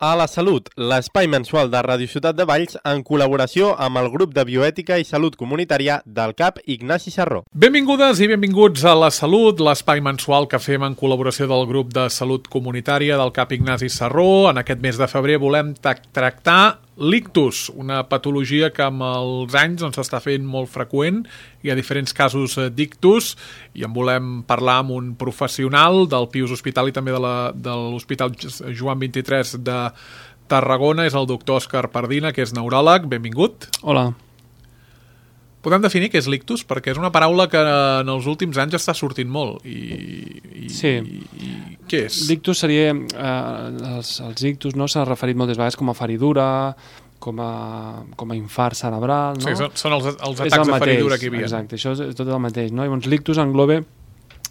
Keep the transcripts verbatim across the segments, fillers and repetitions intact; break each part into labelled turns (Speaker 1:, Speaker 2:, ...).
Speaker 1: A la Salut, l'espai mensual de Ràdio Ciutat de Valls en col·laboració amb el grup de Bioètica i Salut Comunitària del C A P Ignasi Sarró.
Speaker 2: Benvingudes i benvinguts a La Salut, l'espai mensual que fem en col·laboració del grup de Salut Comunitària del C A P Ignasi Sarró. En aquest mes de febrer volem tractar l'ictus, una patologia que amb els anys doncs, s'està fent molt freqüent. Hi ha diferents casos d'ictus i en volem parlar amb un professional del Pius Hospital i també de, la, de l'Hospital Joan vint-i-tres de Tarragona. És el doctor Òscar Pardina, que és neuròleg. Benvingut.
Speaker 3: Hola.
Speaker 2: Podem definir què és l'ictus? Perquè és una paraula que en els últims anys està sortint molt. I, i,
Speaker 3: sí.
Speaker 2: I, i què és?
Speaker 3: L'ictus seria... Eh, els, els ictus no, s'ha referit moltes vegades com a feridura, com a, com a infart cerebral, no?
Speaker 2: Sí, són, són els, els atacs de feridura que hi havia.
Speaker 3: Exacte, això és tot el mateix, no? Llavors l'ictus engloba,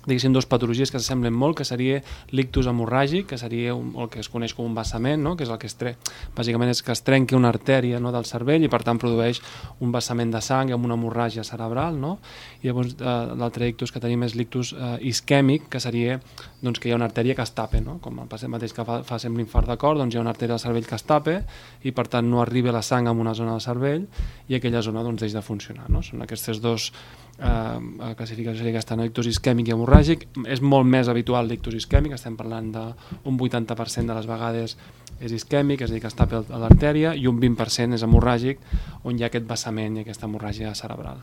Speaker 3: diguéssim, dues patologies que s'assemblen molt, que seria l'ictus hemorràgic, que seria un, el que es coneix com un vessament, no? Que és el que es tre... bàsicament és que es trenqui una artèria, no, del cervell i per tant produeix un vessament de sang amb una hemorràgia cerebral, no? I llavors eh, l'altre ictus que tenim és l'ictus eh, isquèmic, que seria doncs, que hi ha una artèria que es tapa, no? Com el pacient mateix que fa, fa sempre l'infart de cor, doncs hi ha una artèria del cervell que es tapa i per tant no arriba la sang a una zona del cervell i aquella zona doncs, deixa de funcionar, no? Són aquestes dos eh, classificacions, aquesta, no? Ictus isquèmic i hemorràgic. És molt més habitual l'ictus isquèmic, estem parlant d'un vuitanta per cent de les vegades és isquèmic, és a dir, que es tapa a l'artèria, i un vint per cent és hemorràgic, on hi ha aquest vessament i aquesta hemorràgia cerebral.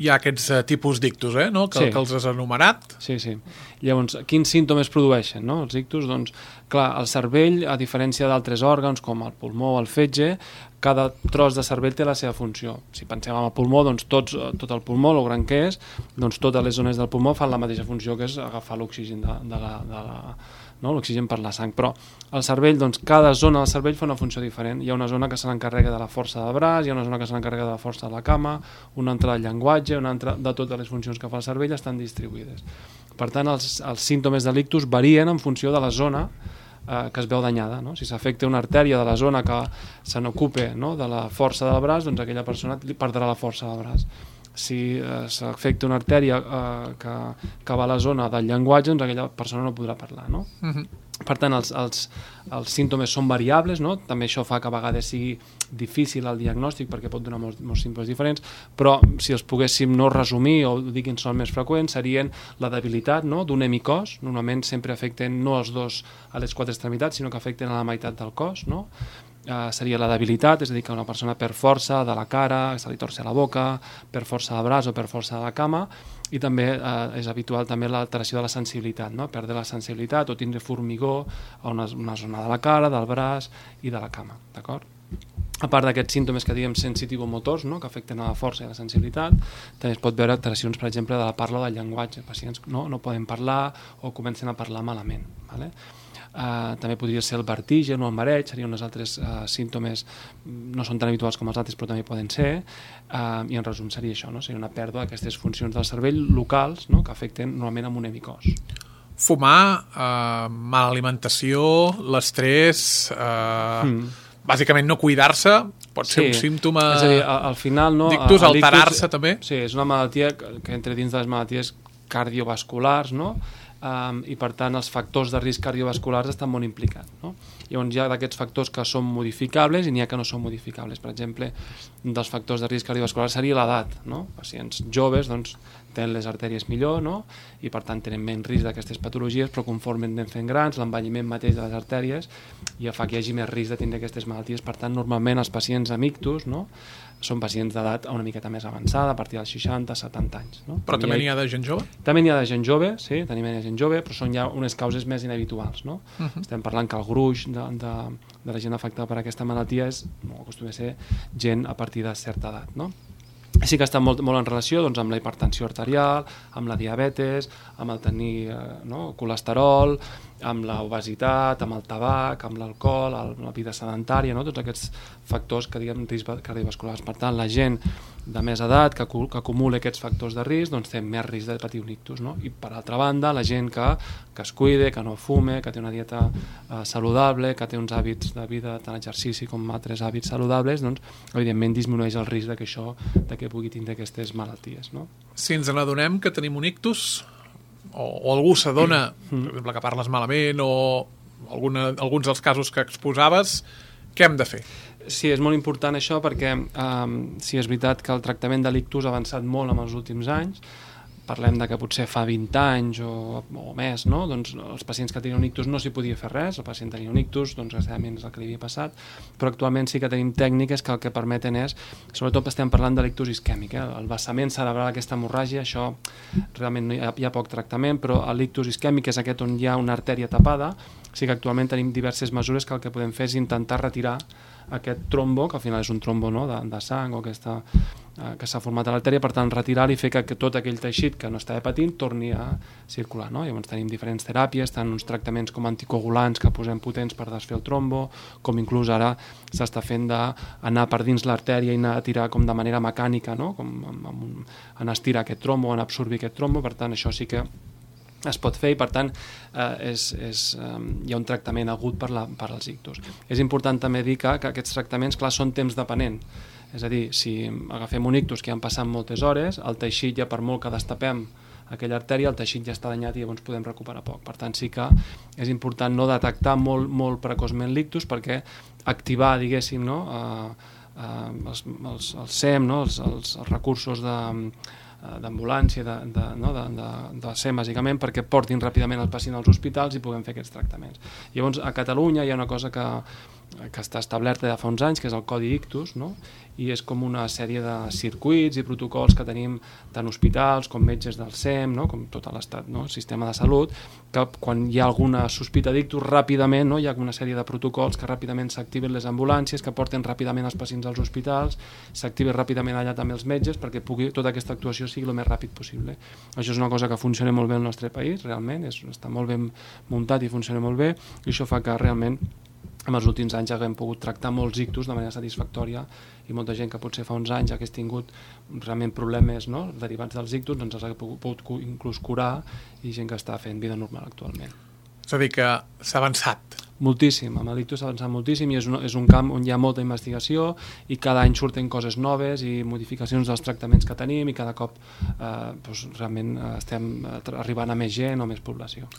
Speaker 2: Hi ha aquests uh, tipus d'ictus, eh, no? que,
Speaker 3: sí.
Speaker 2: que els has enumerat.
Speaker 3: Sí, sí. Llavors, quins símptomes produeixen, no? Els ictus? Doncs, clar, el cervell, a diferència d'altres òrgans, com el pulmó o el fetge, cada tros de cervell té la seva funció. Si pensem en el pulmó, doncs tots, tot el pulmó, el gran que és, doncs totes les zones del pulmó fan la mateixa funció, que és agafar l'oxigen de, de la... De la no? l'oxigen per la sang, però el cervell, doncs cada zona del cervell fa una funció diferent. Hi ha una zona que se n'encarrega de la força del braç, hi ha una zona que se n'encarrega de la força de la cama, una altra del llenguatge, una altra de totes les funcions que fa el cervell estan distribuïdes. Per tant, els, els símptomes de l'ictus varien en funció de la zona eh, que es veu danyada, no? Si s'afecta una artèria de la zona que se n'ocupa, no? de la força del braç, doncs aquella persona perdrà la força del braç. Si eh, s'afecta una artèria eh, que, que va a la zona del llenguatge, doncs aquella persona no podrà parlar, no? Uh-huh. Per tant, els, els, els símptomes són variables, no? També això fa que a vegades sigui difícil el diagnòstic perquè pot donar molts, molts símptomes diferents, però si els poguéssim no resumir o dir quins són més freqüents, serien la debilitat, no? D'un hemicòs, normalment sempre afecten no els dos a les quatre extremitats, sinó que afecten a la meitat del cos, no? Uh, seria la debilitat, és a dir, que una persona per força de la cara, se li torce la boca, per força del braç o per força de la cama, i també uh, és habitual també l'alteració de la sensibilitat, no? Perdre la sensibilitat o tindre formigó a una, una zona de la cara, del braç i de la cama, d'acord? A part d'aquests símptomes que diguem sensitivomotors, no? Que afecten a la força i a la sensibilitat, també es pot veure alteracions, per exemple, de la parla o del llenguatge. Pacients no, no poden parlar o comencen a parlar malament, ¿vale? Uh, també podria ser el vertigen o el mareig, serien uns altres uh, símptomes, no són tan habituals com els altres però també poden ser, uh, i en resum seria això, no? Seria una pèrdua d'aquestes funcions del cervell locals, no? Que afecten normalment amb un hemicòs.
Speaker 2: Fumar, uh, mala alimentació, l'estrès, uh, mm. bàsicament no cuidar-se pot ser sí. un símptoma,
Speaker 3: és a dir, al final, no,
Speaker 2: d'ictus, alterar-se també.
Speaker 3: Sí, és una malaltia que, que entra dins de les malalties cardiovasculars, no? Um, i per tant els factors de risc cardiovasculars estan molt implicats, no? Llavors hi ha d'aquests factors que són modificables i n'hi ha que no són modificables. Per exemple, un dels factors de risc cardiovascular seria l'edat, no? Pacients joves doncs, tenen les artèries millor, no? I per tant tenen menys risc d'aquestes patologies, però conforme anem fent grans, l'envelliment mateix de les artèries ja fa que hi hagi més risc de tindre aquestes malalties. Per tant, normalment els pacients amb ictus, no? Són pacients d'edat una miqueta més avançada, a partir dels seixanta, setanta anys. No?
Speaker 2: Però també n'hi ha de gent jove?
Speaker 3: També n'hi ha de gent jove, sí, tenim de gent jove, però són ja unes causes més inhabituals, no? Uh-huh. Estem parlant que el gruix de, de, de la gent afectada per aquesta malaltia és, no, acostuma a ser gent a partir de certa edat, no? Sí que està molt, molt en relació doncs, amb la hipertensió arterial, amb la diabetes, amb el tenir eh, no, colesterol, amb l'obesitat, amb el tabac, amb l'alcohol, amb la vida sedentària, no? Tots aquests factors que diguem risc cardiovasculars. Per tant, la gent de més edat que, que acumula aquests factors de risc doncs té més risc de patir un ictus, no? I per altra banda, la gent que, que es cuide, que no fume, que té una dieta eh, saludable, que té uns hàbits de vida, tant exercici com altres hàbits saludables, doncs evidentment disminueix el risc de que això, de que pugui tindre aquestes malalties, no?
Speaker 2: Si ens n'adonem que tenim un ictus, o, o algú s'adona, mm. per exemple, que parles malament o alguna, alguns dels casos que exposaves, què hem de fer?
Speaker 3: Sí, és molt important això perquè um, sí, és veritat que el tractament de l'ictus ha avançat molt en els últims anys. Parlem de que potser fa vint anys o, o més, no? Doncs els pacients que tenien un ictus no s'hi podia fer res, el pacient tenia un ictus, doncs desgraciadament és el que li havia passat, però actualment sí que tenim tècniques que el que permeten és, sobretot estem parlant de l'ictus isquèmic, eh? El vessament cerebral, aquesta hemorràgia, això realment no hi ha, hi ha poc tractament, però l'ictus isquèmic és aquest on hi ha una artèria tapada, sí que actualment tenim diverses mesures que el que podem fer és intentar retirar aquest trombo, que al final és un trombo, no?, de, de sang o aquesta, eh, que s'ha format a l'artèria, per tant retirar-li i fer que, que tot aquell teixit que no estava patint torni a circular, no? Llavors tenim diferents teràpies, tant uns tractaments com anticoagulants que posem potents per desfer el trombo, com inclús ara s'està fent d'anar per dins l'artèria i anar a tirar com de manera mecànica, no?, com amb, amb un, en estirar aquest trombo, en absorbir aquest trombo, per tant això sí que es pot fer i per tant eh, és, és, eh, hi ha un tractament agut per, la, per als ictus. És important també dir que, que aquests tractaments, clar, són temps depenent. És a dir, si agafem un ictus que han passat moltes hores, el teixit ja per molt que destapem aquella artèria, el teixit ja està danyat i llavors podem recuperar poc. Per tant, sí que és important no detectar molt, molt precoçment l'ictus perquè activar, diguéssim, no, eh, eh, els, els, els S E M, no, els, els, els recursos de d'ambulància, de, de, no, de, de, de S E M bàsicament, perquè portin ràpidament el pacient als hospitals i puguem fer aquests tractaments. Llavors, a Catalunya hi ha una cosa que, que està establerta de fa uns anys, que és el Codi Ictus, no? I és com una sèrie de circuits i protocols que tenim tant hospitals com metges del S E M, no? Com tot l'estat, no? El sistema de salut, que quan hi ha alguna sospita d'ictus, ràpidament, no? Hi ha una sèrie de protocols que ràpidament s'activen les ambulàncies, que porten ràpidament els pacients als hospitals, s'activen ràpidament allà també els metges perquè pugui tota aquesta actuació sigui el més ràpid possible. Això és una cosa que funciona molt bé al nostre país, realment, és, està molt ben muntat i funciona molt bé, i això fa que realment en els últims anys haguem pogut tractar molts ictus de manera satisfactòria i molta gent que potser fa uns anys hagués tingut realment problemes, no?, derivats dels ictus, doncs els ha pogut, pogut inclús curar, i gent que està fent vida normal actualment.
Speaker 2: És a dir, que s'ha avançat.
Speaker 3: Moltíssim, amb l'ictus s'ha avançat moltíssim i és un, és un camp on hi ha molta investigació i cada any surten coses noves i modificacions dels tractaments que tenim i cada cop eh, doncs, realment estem arribant a més gent o més població.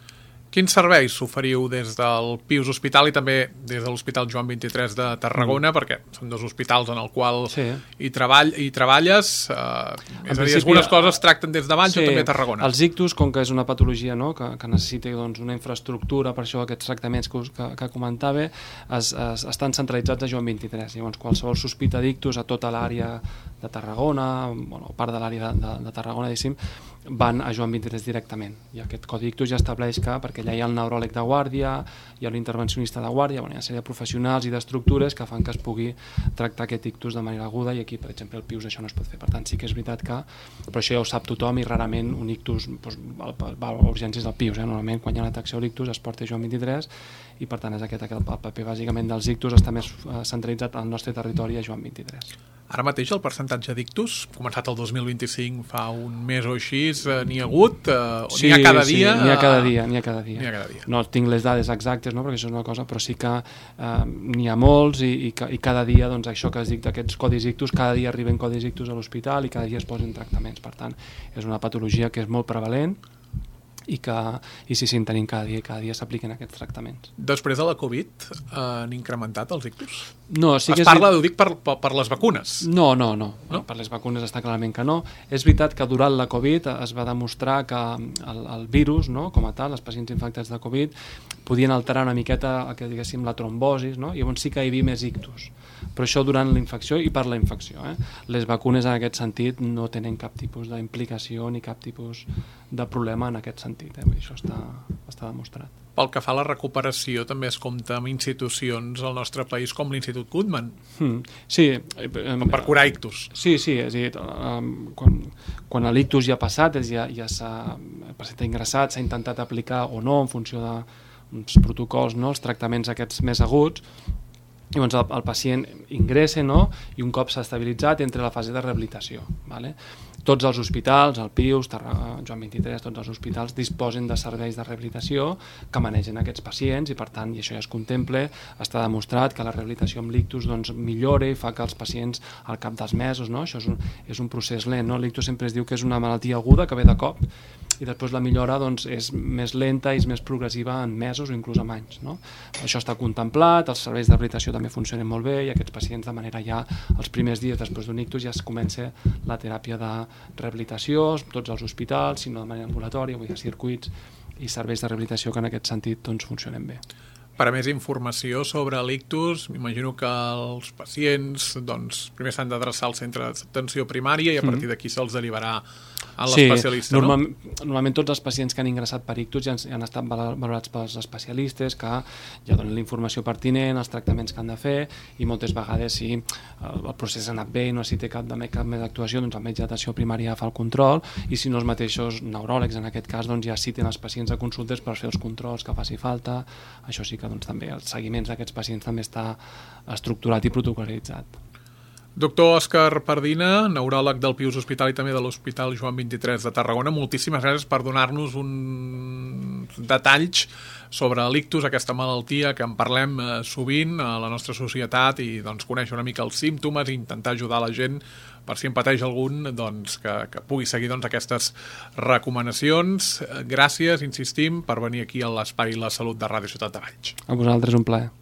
Speaker 2: Quins serveis s'oferiu des del Pius Hospital i també des de l'Hospital Joan vint-i-tres de Tarragona, mm. perquè són dos hospitals en el qual sí. hi, treball, hi treballes, eh, és a dir, algunes coses tracten des de Valls sí. o també a Tarragona.
Speaker 3: Els ictus, com que és una patologia, no?, que, que necessita doncs, una infraestructura, per això aquests tractaments que, que, que comentava, es, es, estan centralitzats a Joan vint-i-tres. Llavors, qualsevol sospita d'ictus a tota l'àrea de Tarragona, bueno, part de l'àrea de, de, de Tarragona, diguéssim, van a Joan vint-i-tres directament. I aquest codi ictus ja estableix que, perquè allà hi ha el neuròleg de guàrdia, hi ha l'intervencionista de guàrdia, bueno, hi ha una sèrie de professionals i d'estructures que fan que es pugui tractar aquest ictus de manera aguda, i aquí, per exemple, el Pius això no es pot fer. Per tant, sí que és veritat que, però això ja ho sap tothom, i rarament un ictus doncs, va a urgències del Pius. Eh? Normalment, quan hi ha una detecció d'ictus, es porta a Joan vint-i-tres, i per tant és aquest, aquest el paper bàsicament dels ictus està més centralitzat al nostre territori a Joan vint-i-tres.
Speaker 2: Ara mateix el percentatge d'ictus, començat el dos mil vint-i-cinc, fa un mes o així, eh, n'hi ha hagut? Eh,
Speaker 3: sí,
Speaker 2: n'hi ha cada
Speaker 3: sí,
Speaker 2: dia?
Speaker 3: N'hi ha cada dia, n'hi ha cada dia.
Speaker 2: N'hi ha cada dia.
Speaker 3: No tinc les dades exactes, no?, perquè això és una cosa, però sí que eh, n'hi ha molts, i, i, i cada dia, doncs, això que es dic d'aquests codis ictus, cada dia arriben codis ictus a l'hospital i cada dia es posen tractaments. Per tant, és una patologia que és molt prevalent, i que i sí, sí, en tenim cada dia, cada dia s'apliquen aquests tractaments.
Speaker 2: Després de la Covid eh, han incrementat els ictus?
Speaker 3: No, sí que
Speaker 2: es parla, ho dic, per, per, per les vacunes?
Speaker 3: No, no, no, no, per les vacunes està clarament que no. És veritat que durant la Covid es va demostrar que el, el virus, no?, com a tal, els pacients infectats de Covid, podien alterar una miqueta, que diguéssim, la trombosis, no?, i llavors sí que hi havia més ictus. Però això durant la infecció i per la infecció. Eh? Les vacunes en aquest sentit no tenen cap tipus d'implicació ni cap tipus de problema en aquest sentit. Eh? Vull dir, això està, està demostrat.
Speaker 2: Pel que fa a la recuperació, també es compta amb institucions al nostre país com l'Institut Guttmann.
Speaker 3: Hmm. Sí.
Speaker 2: Com per curar ictus.
Speaker 3: Sí, sí, és a dir, quan, quan l'ictus ja ha passat, ja, ja s'ha, el pacient ha ingressat, s'ha intentat aplicar o no en funció d'uns protocols, no?, els tractaments aquests més aguts. Llavors el, el pacient ingressa, no?, i un cop s'ha estabilitzat entra a la fase de rehabilitació. Vale? Tots els hospitals, el Pius, Joan vint-i-tres, tots els hospitals disposen de serveis de rehabilitació que manegen aquests pacients, i per tant, i això ja es contempla, està demostrat que la rehabilitació amb l'ictus doncs, millora i fa que els pacients al cap dels mesos, no?, això és un, és un procés lent, no? L'ictus sempre es diu que és una malaltia aguda que ve de cop, i després la millora doncs, és més lenta i és més progressiva en mesos o inclús en anys. No? Això està contemplat, els serveis de rehabilitació també funcionen molt bé i aquests pacients de manera ja els primers dies després d'un ictus ja es comença la teràpia de rehabilitació, tots els hospitals, sinó de manera ambulatòria, vull dir, circuits i serveis de rehabilitació que en aquest sentit doncs, funcionen bé.
Speaker 2: Per a més informació sobre l'ictus, m'imagino que els pacients doncs, primer s'han d'adreçar al centre d'atenció primària i a partir d'aquí se'ls derivarà a l'especialista,
Speaker 3: sí, normal,
Speaker 2: no?
Speaker 3: Normalment tots els pacients que han ingressat per ictus ja han, ja han estat valorats pels especialistes que ja donen la informació pertinent, els tractaments que han de fer i moltes vegades si el procés ha anat bé i no necessita cap, cap més actuació, doncs el metge d'atenció primària fa el control i si no els mateixos neuròlegs en aquest cas doncs ja citen els pacients a consultes per fer els controls que faci falta. Això sí que doncs, també els seguiments d'aquests pacients també està estructurat i protocolitzat.
Speaker 2: Doctor Òscar Pardina, neuròleg del Pius Hospital i també de l'Hospital Joan vint-i-tres de Tarragona, moltíssimes gràcies per donar-nos uns detalls sobre l'ictus, aquesta malaltia que en parlem sovint a la nostra societat i doncs, conèixer una mica els símptomes i intentar ajudar la gent per si en pateix algun doncs, que, que pugui seguir doncs, aquestes recomanacions. Gràcies, insistim, per venir aquí a l'Espai La Salut de Ràdio Ciutat de Valls.
Speaker 3: A vosaltres un plaer.